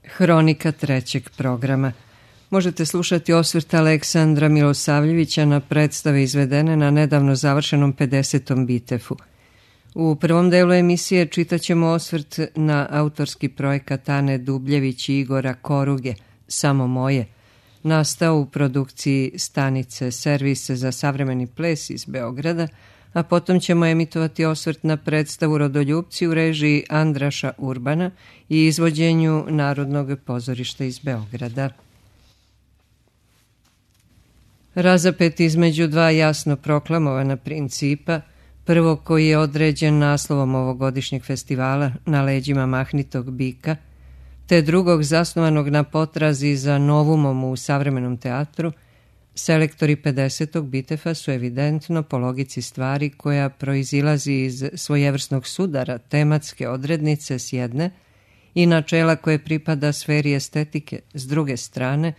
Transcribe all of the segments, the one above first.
Hronika trećeg programa. Možete slušati osvrt Aleksandra Milosavljevića na predstave izvedene na nedavno završenom 50. Bitefu. U prvom delu emisije čitaćemo osvrt na autorski projekat Ane Dubljević i Igora Koruge, Samo moje, nastao u produkciji stanice Servise za savremeni ples iz Beograda, a potom ćemo emitovati osvrt na predstavu Rodoljupci u režiji Andraša Urbana i izvođenju Narodnog pozorišta iz Beograda. Razapet između dva jasno proklamovana principa, prvo koji je određen naslovom ovogodišnjeg festivala Na leđima mahnitog bika, te drugog zasnovanog na potrazi za novumom u savremenom teatru, selektori 50. Bitefa su evidentno po logici stvari koja proizilazi iz svojevrsnog sudara tematske odrednice s jedne i načela koje pripada sferi estetike s druge strane,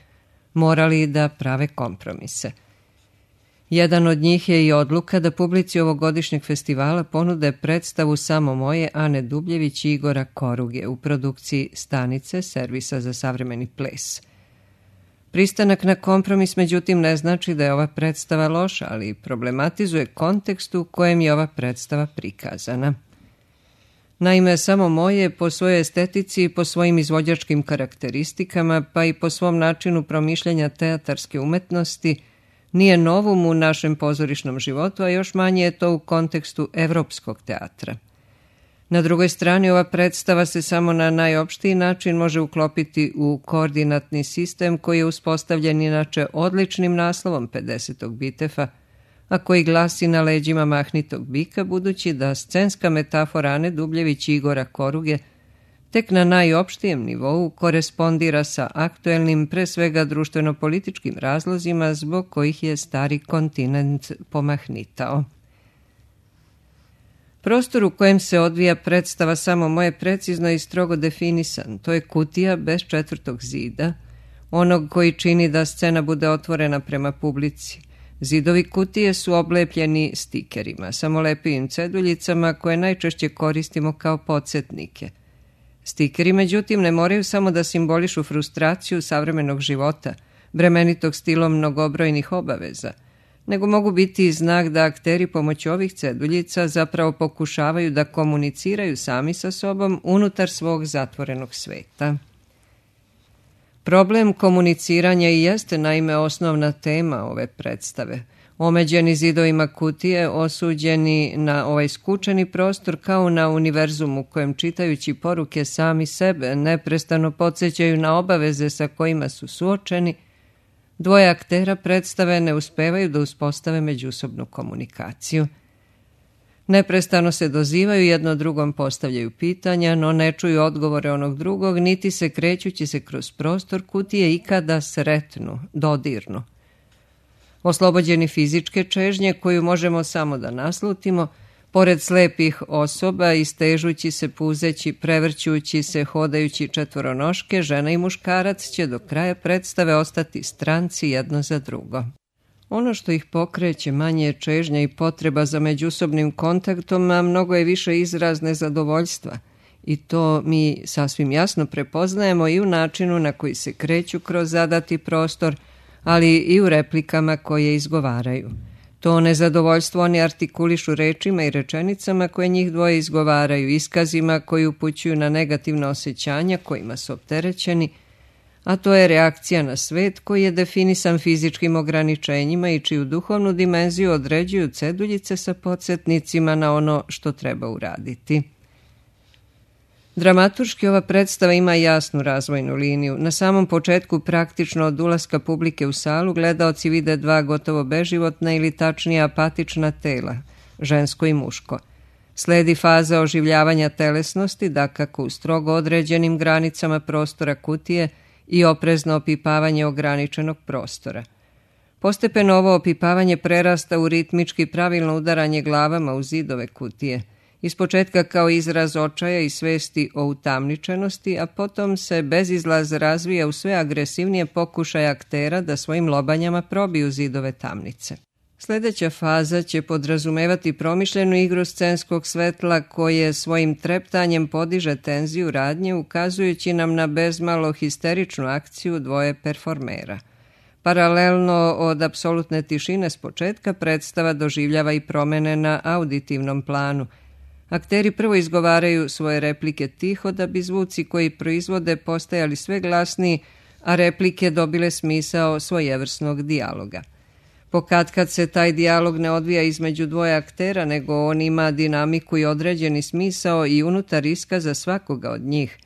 morali da prave kompromise. Jedan od njih je i odluka da publici ovogodišnjeg festivala ponude predstavu Samo moje Ane Dubljević i Igora Koruge u produkciji stanice Servisa za savremeni ples. Pristanak na kompromis, međutim, ne znači da je ova predstava loša, ali problematizuje kontekst u kojem je ova predstava prikazana. Naime, Samo moje po svojoj estetici i po svojim izvođačkim karakteristikama, pa i po svom načinu promišljanja teatarske umetnosti, nije novum u našem pozorišnom životu, a još manje je to u kontekstu evropskog teatra. Na drugoj strani, ova predstava se samo na najopštiji način može uklopiti u koordinatni sistem koji je uspostavljen inače odličnim naslovom 50. Bitefa, a koji glasi Na leđima mahnitog bika, budući da scenska metafora Ane Dubljević i Igora Koruge tek na najopštijem nivou korespondira sa aktuelnim, pre svega društveno-političkim razlozima zbog kojih je stari kontinent pomahnitao. Prostor u kojem se odvija predstava Samo moje precizno i strogo definisan. To je kutija bez četvrtog zida, onog koji čini da scena bude otvorena prema publici. Zidovi kutije su oblepljeni stikerima, samolepivim ceduljicama koje najčešće koristimo kao podsjetnike. Stikeri, međutim, ne moraju samo da simbolišu frustraciju savremenog života, bremenitog stilom mnogobrojnih obaveza, nego mogu biti i znak da akteri pomoću ovih ceduljica zapravo pokušavaju da komuniciraju sami sa sobom unutar svog zatvorenog sveta. Problem komuniciranja i jeste naime osnovna tema ove predstave. Omeđeni zidovima kutije, osuđeni na ovaj skučeni prostor kao na univerzum u kojem čitajući poruke sami sebe neprestano podsjećaju na obaveze sa kojima su suočeni, dvoje aktera predstave ne uspevaju da uspostave međusobnu komunikaciju. Neprestano se dozivaju, jedno drugom postavljaju pitanja, no ne čuju odgovore onog drugog, niti se krećući se kroz prostor kutije ikada sretnu, dodirnu. Oslobođeni fizičke čežnje koju možemo samo da naslutimo, pored slepih osoba, istežući se, puzeći, prevrćući se, hodajući četvoronoške, žena i muškarac će do kraja predstave ostati stranci jedno za drugo. Ono što ih pokreće manje je čežnja i potreba za međusobnim kontaktom, a mnogo je više izraz nezadovoljstva. I to mi sasvim jasno prepoznajemo i u načinu na koji se kreću kroz zadati prostor, ali i u replikama koje izgovaraju. To nezadovoljstvo oni artikulišu rečima i rečenicama koje njih dvoje izgovaraju, iskazima koji upućuju na negativna osjećanja kojima su opterećeni, a to je reakcija na svet koji je definisan fizičkim ograničenjima i čiju duhovnu dimenziju određuju ceduljice sa podsjetnicima na ono što treba uraditi. Dramaturški ova predstava ima jasnu razvojnu liniju. Na samom početku, praktično od ulaska publike u salu, gledaoci vide dva gotovo beživotna ili tačnije apatična tela, žensko i muško. Sledi faza oživljavanja telesnosti, dakako u strogo određenim granicama prostora kutije i oprezno opipavanje ograničenog prostora. Postepeno ovo opipavanje prerasta u ritmički pravilno udaranje glavama u zidove kutije, ispočetka kao izraz očaja i svesti o utamničenosti, a potom se bezizlaz razvija u sve agresivnije pokušaje aktera da svojim lobanjama probiju zidove tamnice. Sljedeća faza će podrazumevati promišljenu igru scenskog svetla koje svojim treptanjem podiže tenziju radnje, ukazujući nam na bezmalo histeričnu akciju dvoje performera. Paralelno od apsolutne tišine s početka predstava doživljava i promene na auditivnom planu. Akteri prvo izgovaraju svoje replike tiho da bi zvuci koji proizvode postajali sve glasniji, a replike dobile smisao svojevrsnog dijaloga. Pokatkad se taj dijalog ne odvija između dvoje aktera, nego on ima dinamiku i određeni smisao i unutar iskaza svakoga od njih,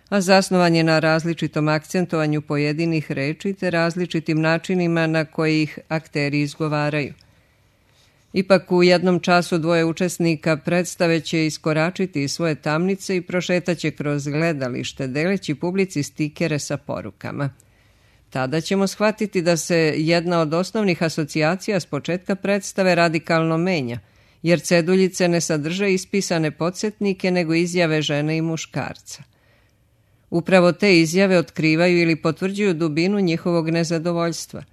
a zasnovan je na različitom akcentovanju pojedinih reči te različitim načinima na koje ih akteri izgovaraju. Ipak u jednom času dvoje učesnika predstave će iskoračiti iz svoje tamnice i prošetaće kroz gledalište, deleći publici stikere sa porukama. Tada ćemo shvatiti da se jedna od osnovnih asocijacija s početka predstave radikalno menja, jer ceduljice ne sadrže ispisane podsjetnike nego izjave žene i muškarca. Upravo te izjave otkrivaju ili potvrđuju dubinu njihovog nezadovoljstva.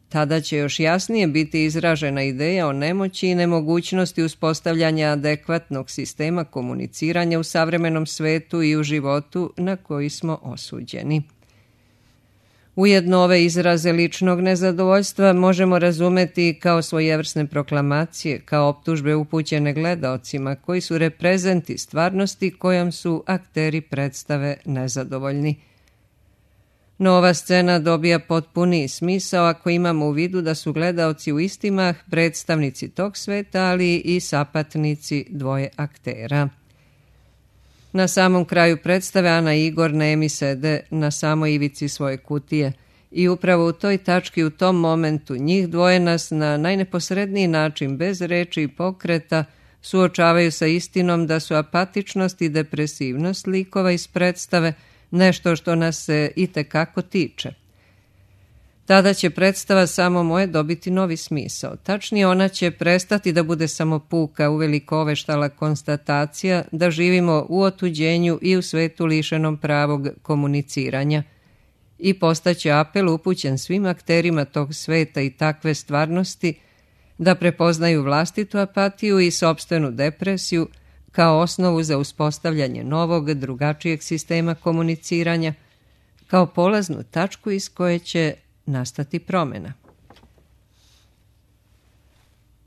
Tada će još jasnije biti izražena ideja o nemoći i nemogućnosti uspostavljanja adekvatnog sistema komuniciranja u savremenom svetu i u životu na koji smo osuđeni. Ujedno ove izraze ličnog nezadovoljstva možemo razumeti kao svojevrsne proklamacije, kao optužbe upućene gledaocima koji su reprezenti stvarnosti kojom su akteri predstave nezadovoljni. No ova scena dobija potpuniji smisao ako imamo u vidu da su gledaoci u istimah predstavnici tog sveta, ali i sapatnici dvoje aktera. Na samom kraju predstave Ana i Igor nemi sede na samoj ivici svoje kutije i upravo u toj tački, u tom momentu, njih dvoje nas na najneposredniji način, bez reči i pokreta, suočavaju sa istinom da su apatičnost i depresivnost likova iz predstave nešto što nas se itekako tiče. Tada će predstava Samo moje dobiti novi smisao. Tačnije, ona će prestati da bude samo puka, uveliko oveštala konstatacija da živimo u otuđenju i u svetu lišenom pravog komuniciranja i postaće apel upućen svim akterima tog sveta i takve stvarnosti da prepoznaju vlastitu apatiju i sopstvenu depresiju kao osnovu za uspostavljanje novog, drugačijeg sistema komuniciranja, kao polaznu tačku iz koje će nastati promjena.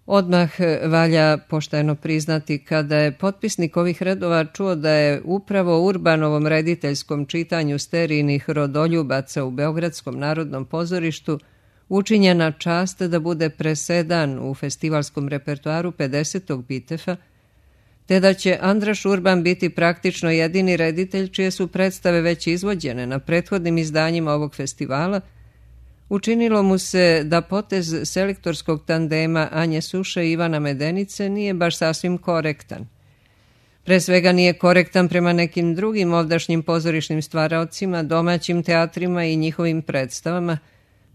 Odmah valja pošteno priznati kada je potpisnik ovih redova čuo da je upravo Urbanovom rediteljskom čitanju sterijnih rodoljubaca u Beogradskom narodnom pozorištu učinjena čast da bude presedan u festivalskom repertoaru 50. Bitefa, te da će Andraš Urban biti praktično jedini reditelj čije su predstave već izvođene na prethodnim izdanjima ovog festivala, učinilo mu se da potez selektorskog tandema Anje Suše i Ivana Medenice nije baš sasvim korektan. Pre svega nije korektan prema nekim drugim ovdašnjim pozorišnim stvaraocima, domaćim teatrima i njihovim predstavama,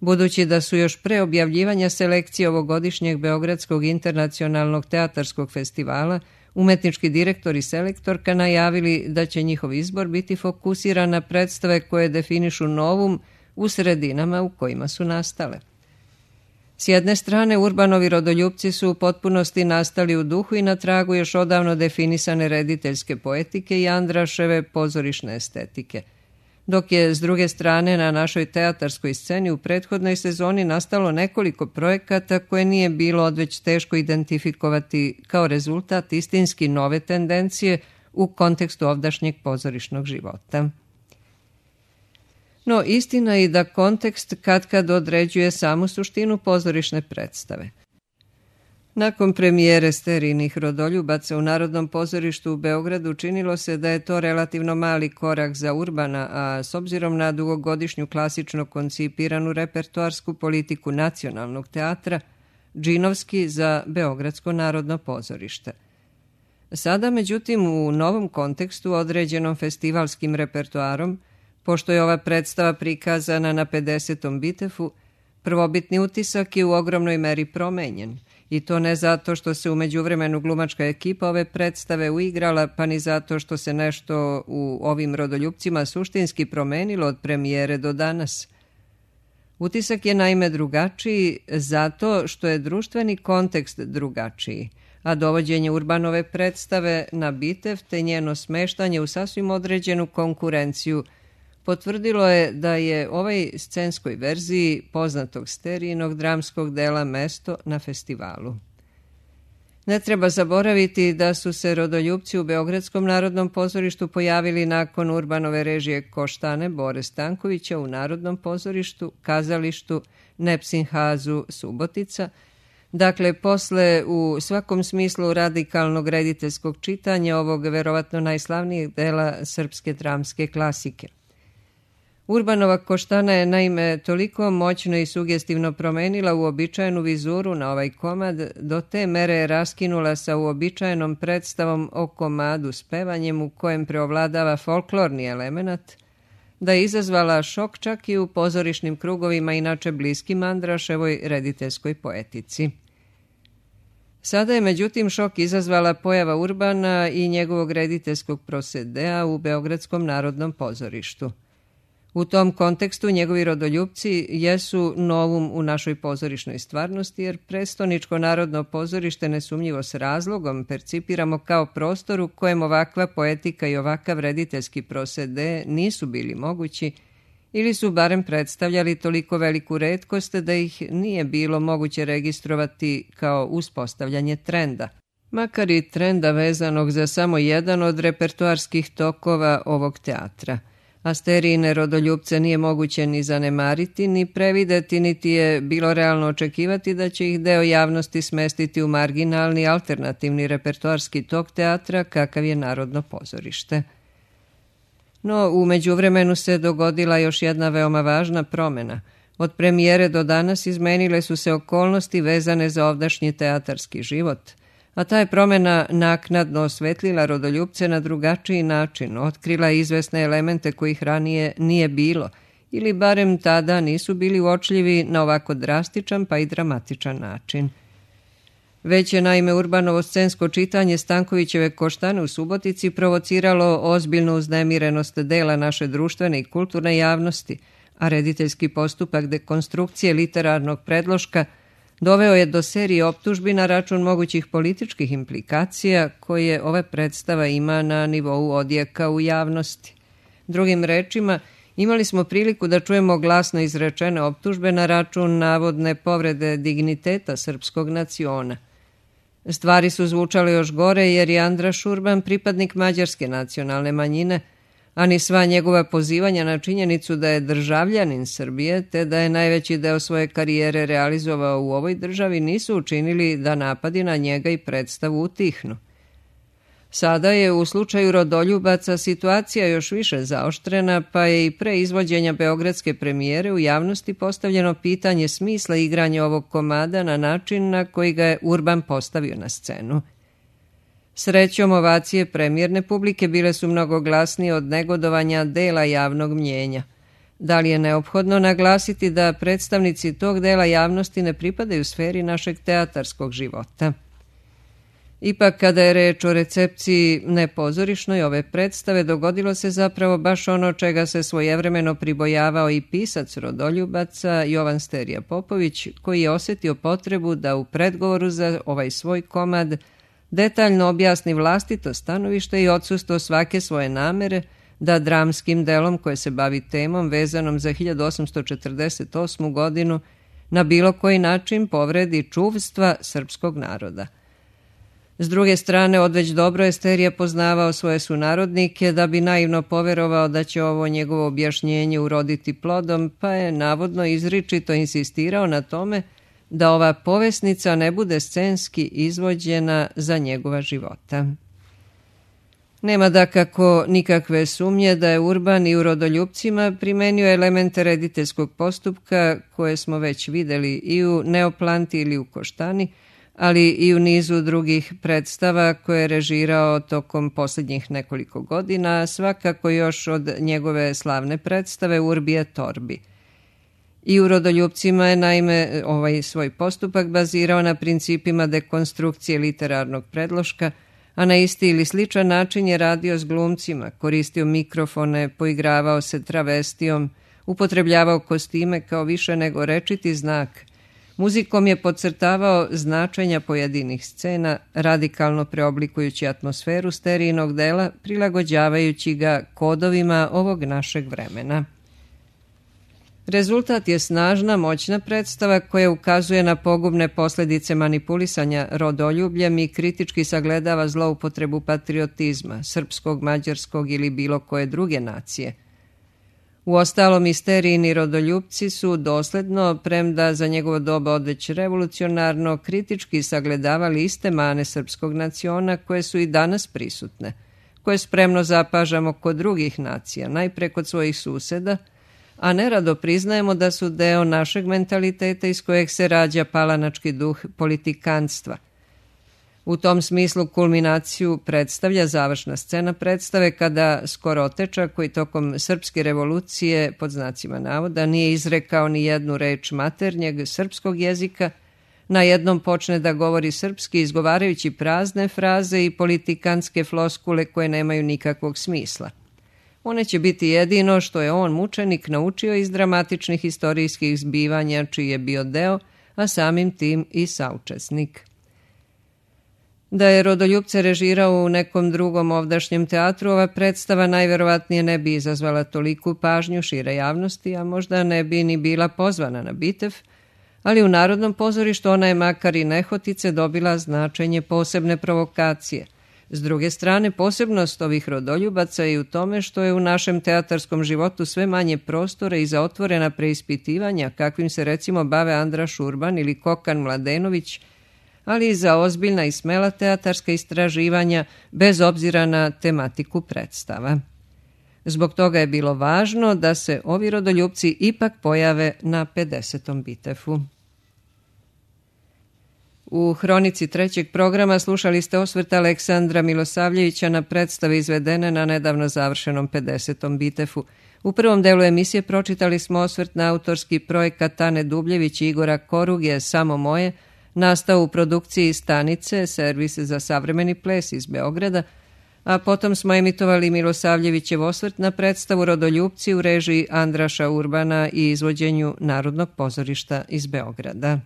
budući da su još pre objavljivanja selekcije ovogodišnjeg Beogradskog internacionalnog teatarskog festivala umetnički direktor i selektorka najavili da će njihov izbor biti fokusiran na predstave koje definišu novum u sredinama u kojima su nastale. S jedne strane, Urbanovi rodoljupci su u potpunosti nastali u duhu i na tragu još odavno definisane rediteljske poetike i Andraševe pozorišne estetike, dok je s druge strane na našoj teatarskoj sceni u prethodnoj sezoni nastalo nekoliko projekata koje nije bilo odveć teško identifikovati kao rezultat istinski nove tendencije u kontekstu ovdašnjeg pozorišnog života. No, istina je i da kontekst katkad određuje samu suštinu pozorišne predstave. Nakon premijere sterijnih rodoljubaca u Narodnom pozorištu u Beogradu činilo se da je to relativno mali korak za Urbana, a s obzirom na dugogodišnju klasično koncipiranu repertoarsku politiku nacionalnog teatra, džinovski za Beogradsko narodno pozorište. Sada, međutim, u novom kontekstu određenom festivalskim repertoarom, pošto je ova predstava prikazana na 50. Bitefu, prvobitni utisak je u ogromnoj meri promenjen. I to ne zato što se u međuvremenu glumačka ekipa ove predstave uigrala, pa ni zato što se nešto u ovim rodoljupcima suštinski promenilo od premijere do danas. Utisak je naime drugačiji zato što je društveni kontekst drugačiji, a dovođenje Urbanove predstave na Bitev te njeno smeštanje u sasvim određenu konkurenciju potvrdilo je da je ovoj scenskoj verziji poznatog Sterijinog dramskog dela mesto na festivalu. Ne treba zaboraviti da su se rodoljupci u Beogradskom narodnom pozorištu pojavili nakon Urbanove režije Koštane Bore Stankovića u Narodnom pozorištu, kazalištu Nepsinhazu Subotica, dakle posle u svakom smislu radikalnog rediteljskog čitanja ovog verovatno najslavnijeg dela srpske dramske klasike. Urbanova Koštana je naime toliko moćno i sugestivno promenila uobičajenu vizuru na ovaj komad, do te mere je raskinula sa uobičajenom predstavom o komadu s pevanjem u kojem preovladava folklorni element, da je izazvala šok čak i u pozorišnim krugovima inače bliskim Andraševoj rediteljskoj poetici. Sada je međutim šok izazvala pojava Urbana i njegovog rediteljskog prosedea u Beogradskom narodnom pozorištu. U tom kontekstu njegovi rodoljupci jesu novum u našoj pozorišnoj stvarnosti, jer Prestoničko narodno pozorište nesumnjivo s razlogom percipiramo kao prostor u kojem ovakva poetika i ovakav rediteljski prosede nisu bili mogući ili su barem predstavljali toliko veliku retkost da ih nije bilo moguće registrovati kao uspostavljanje trenda. Makar i trenda vezanog za samo jedan od repertoarskih tokova ovog teatra. A Sterijine rodoljupce nije moguće ni zanemariti, ni prevideti, niti je bilo realno očekivati da će ih deo javnosti smestiti u marginalni alternativni repertoarski tok teatra kakav je Narodno pozorište. No, u međuvremenu se dogodila još jedna veoma važna promena. Od premijere do danas izmenile su se okolnosti vezane za ovdašnji teatarski život, a ta je promena naknadno osvetlila rodoljupce na drugačiji način, otkrila izvesne elemente kojih ranije nije bilo, ili barem tada nisu bili uočljivi na ovako drastičan pa i dramatičan način. Već je naime Urbanovo scensko čitanje Stankovićeve Koštane u Subotici provociralo ozbiljnu uznemirenost dela naše društvene i kulturne javnosti, a rediteljski postupak dekonstrukcije literarnog predloška doveo je do serije optužbi na račun mogućih političkih implikacija koje ova predstava ima na nivou odjeka u javnosti. Drugim rečima, imali smo priliku da čujemo glasno izrečene optužbe na račun navodne povrede digniteta srpskog naciona. Stvari su zvučale još gore jer je Andraš Urban pripadnik mađarske nacionalne manjine, a ni sva njegova pozivanja na činjenicu da je državljanin Srbije te da je najveći deo svoje karijere realizovao u ovoj državi nisu učinili da napadi na njega i predstavu utihnu. Sada je u slučaju rodoljubaca situacija još više zaoštrena, pa je i pre izvođenja beogradske premijere u javnosti postavljeno pitanje smisla igranja ovog komada na način na koji ga je Urban postavio na scenu. Srećom, ovacije premijerne publike bile su mnogo glasnije od negodovanja dela javnog mnjenja. Da li je neophodno naglasiti da predstavnici tog dela javnosti ne pripadaju sferi našeg teatarskog života? Ipak, kada je reč o recepciji nepozorišnoj ove predstave, dogodilo se zapravo baš ono čega se svojevremeno pribojavao i pisac rodoljubaca Jovan Sterija Popović, koji je osjetio potrebu da u predgovoru za ovaj svoj komad detaljno objasni vlastito stanovište i odsustvo svake svoje namere da dramskim delom koje se bavi temom vezanom za 1848. godinu na bilo koji način povredi čuvstva srpskog naroda. S druge strane, odveć dobro je Sterija poznavao svoje sunarodnike da bi naivno poverovao da će ovo njegovo objašnjenje uroditi plodom, pa je navodno izričito insistirao na tome da ova povesnica ne bude scenski izvođena za njegova života. Nema dakako nikakve sumnje da je Urban i u rodoljupcima primenio elemente rediteljskog postupka koje smo već videli i u Neoplanti ili u Koštani, ali i u nizu drugih predstava koje je režirao tokom posljednjih nekoliko godina, svakako još od njegove slavne predstave Urbi et Orbi. I u rodoljupcima je naime ovaj svoj postupak bazirao na principima dekonstrukcije literarnog predloška, a na isti ili sličan način je radio s glumcima, koristio mikrofone, poigravao se travestijom, upotrebljavao kostime kao više nego rečiti znak. Muzikom je podcrtavao značenja pojedinih scena, radikalno preoblikujući atmosferu sterijnog dela, prilagođavajući ga kodovima ovog našeg vremena. Rezultat je snažna, moćna predstava koja ukazuje na pogubne posljedice manipulisanja rodoljubljem i kritički sagledava zloupotrebu patriotizma, srpskog, mađarskog ili bilo koje druge nacije. Uostalom, isterijini rodoljupci su dosledno, premda za njegovo doba odveć revolucionarno, kritički sagledavali iste mane srpskog naciona koje su i danas prisutne, koje spremno zapažamo kod drugih nacija, najpre kod svojih suseda, a nerado priznajemo da su deo našeg mentaliteta iz kojeg se rađa palanački duh politikanstva. U tom smislu kulminaciju predstavlja završna scena predstave kada Skoroteča, koji tokom srpske revolucije, pod znacima navoda, nije izrekao ni jednu reč maternjeg srpskog jezika, najednom počne da govori srpski izgovarajući prazne fraze i politikanske floskule koje nemaju nikakvog smisla. One će biti jedino što je on, mučenik, naučio iz dramatičnih istorijskih zbivanja čiji je bio deo, a samim tim i saučesnik. Da je rodoljupce režirao u nekom drugom ovdašnjem teatru, ova predstava najverovatnije ne bi izazvala toliku pažnju šire javnosti, a možda ne bi ni bila pozvana na Bitev, ali u Narodnom pozorištu ona je makar i nehotice dobila značenje posebne provokacije. S druge strane, posebnost ovih rodoljubaca je u tome što je u našem teatarskom životu sve manje prostora i za otvorena preispitivanja, kakvim se recimo bave Andraš Urban ili Kokan Mladenović, ali i za ozbiljna i smela teatarska istraživanja bez obzira na tematiku predstava. Zbog toga je bilo važno da se ovi rodoljupci ipak pojave na 50. Bitefu. U hronici trećeg programa slušali ste osvrt Aleksandra Milosavljevića na predstave izvedene na nedavno završenom 50. Bitefu. U prvom delu emisije pročitali smo osvrt na autorski projekat Ane Dubljević i Igora Koruge Samo moje, nastao u produkciji Stanice, servis za savremeni ples iz Beograda, a potom smo emitovali Milosavljevićev osvrt na predstavu Rodoljupci u režiji Andraša Urbana i izvođenju Narodnog pozorišta iz Beograda.